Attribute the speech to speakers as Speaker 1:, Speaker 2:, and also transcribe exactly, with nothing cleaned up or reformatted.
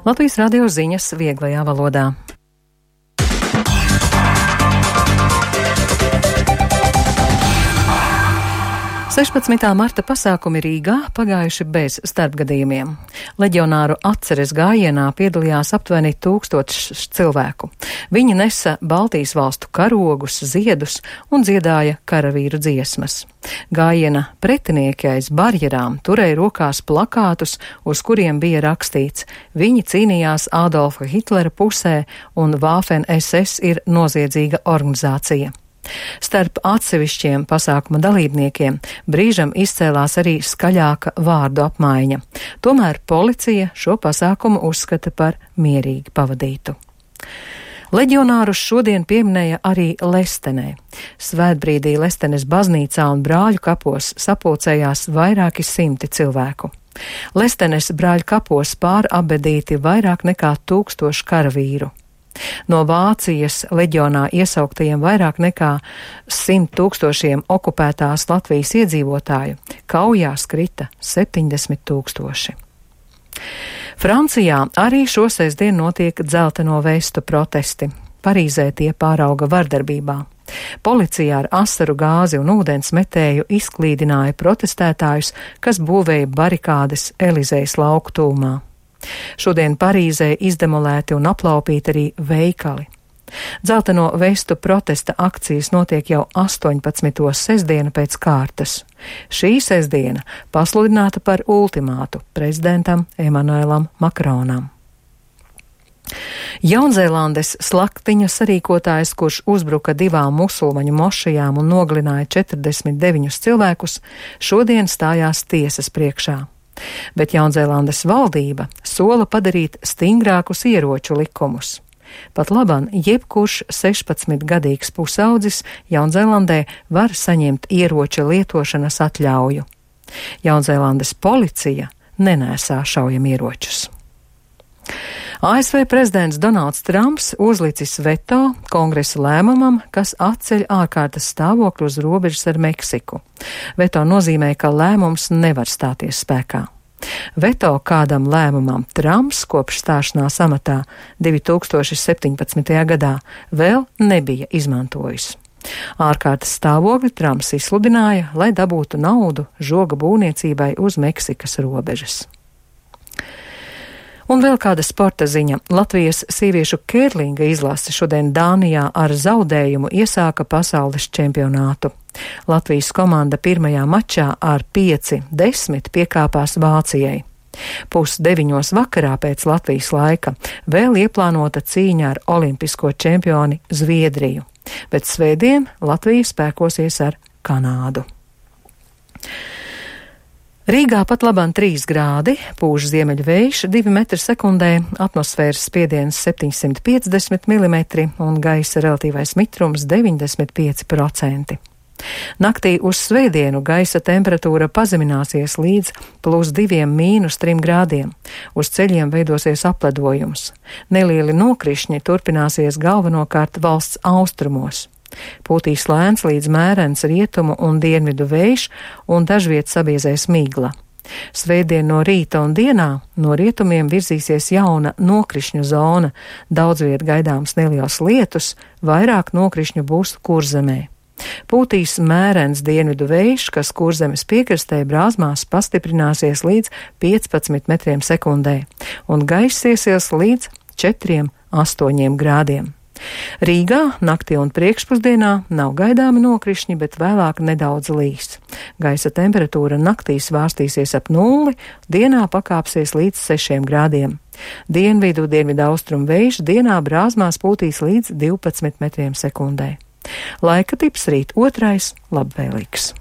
Speaker 1: Latvijas radio ziņas vieglajā valodā. sešpadsmitā marta pasākumi Rīgā pagājuši bez starpgadījumiem. Leģionāru atceres gājienā piedalījās aptuveni tūkstošs cilvēku. Viņi nesa Baltijas valstu karogus, ziedus un dziedāja karavīru dziesmas. Gājiena pretinieki aiz barjerām turēja rokās plakātus, uz kuriem bija rakstīts: viņi cīnījās Adolfa Hitlera pusē un Waffen es es ir noziedzīga organizācija. Starp atsevišķiem pasākuma dalībniekiem brīžam izcēlās arī skaļāka vārdu apmaiņa. Tomēr policija šo pasākumu uzskata par mierīgi pavadītu. Leģionārus šodien pieminēja arī Lestenē. Svētbrīdī Lestenes baznīcā un brāļu kapos sapulcējās vairāki simti cilvēku. Lestenes brāļu kapos pārabedīti vairāk nekā tūkstoši karavīru. No Vācijas leģionā iesauktajiem vairāk nekā simt tūkstošiem okupētās Latvijas iedzīvotāju kaujās krita septiņdesmit tūkstoši. Francijā arī šo sestdien notiek dzelteno vestu protesti. Parīzē tie pārauga vardarbībā. Policija ar asaru gāzi un ūdens metēju izklīdināja protestētājus, kas būvēja barikādes Elizejas lauku tūmā. Šodien Parīzē izdemolēti un aplaupīti arī veikali. Dzelteno vestu protesta akcijas notiek jau astoņpadsmito sestdienu pēc kārtas. Šī sestdiena pasludināta par ultimātu prezidentam Emanuēlam Makronam. Jaunzēlandes slaktiņa sarīkotājs, kurš uzbruka divām musulmaņu mošajām un nogalināja četrdesmit deviņus cilvēkus, šodien stājās tiesas priekšā. Bet Jaunzēlandes valdība sola padarīt stingrākus ieroču likumus. Pat laban jebkurš sešpadsmitgadīgs pusaudzis Jaunzēlandē var saņemt ieroča lietošanas atļauju. Jaunzēlandes policija nenēsā šaujamieročus. A S V prezidents Donalds Trumps uzlicis veto kongresa lēmumam, kas atceļ ārkārtas stāvokli uz robežas ar Meksiku. Veto nozīmē, ka lēmums nevar stāties spēkā. Veto kādam lēmumam Trumps kopš stāšanās amatā divi tūkstoši septiņpadsmitajā gadā vēl nebija izmantojis. Ārkārtas stāvokli Trumps izsludināja, lai dabūtu naudu žoga būvniecībai uz Meksikas robežas. Un vēl kāda sporta ziņa. Latvijas sieviešu kērlinga izlase šodien Dānijā ar zaudējumu iesāka pasaules čempionātu. Latvijas komanda pirmajā mačā ar pieci desmit piekāpās Vācijai. Pusdeviņos vakarā pēc Latvijas laika vēl ieplānota cīņa ar olimpisko čempioni Zviedriju, bet svētdien Latvija spēkosies ar Kanādu. Rīgā pat labāk trīs grādi, pūš ziemeļu vējš divi metri sekundē, atmosfēras spiediens septiņsimt piecdesmit milimetri un gaisa relatīvais mitrums deviņdesmit pieci procenti. Naktī uz svētdienu gaisa temperatūra pazemināsies līdz plus diviem mīnus trim grādiem. Uz ceļiem veidosies apledojums. Nelieli nokrišņi turpināsies galvenokārt valsts austrumos. Pūtīs lēns līdz mērens rietumu un dienvidu vējš un dažviet sabiezēs migla. Svētdien no rīta un dienā no rietumiem virzīsies jauna nokrišņu zona, daudzviet gaidāms neliels lietus, vairāk nokrišņu būs Kurzemē. Pūtīs mērens dienvidu vējš, kas Kurzemes piekrastē brāzmās pastiprināsies līdz piecpadsmit metriem sekundē, un gaiss iesies līdz četriem astoņiem grādiem. Rīgā naktī un priekšpusdienā nav gaidāmi nokrišņi, bet vēlāk nedaudz līs. Gaisa temperatūra naktī svārstīsies ap nulli, dienā pakāpsies līdz sešiem grādiem. Dienvidu, dienvidu austrumu vējš dienā brāzmās pūtīs līdz divpadsmit metriem sekundē. Laika tips rīt otrais labvēlīgs.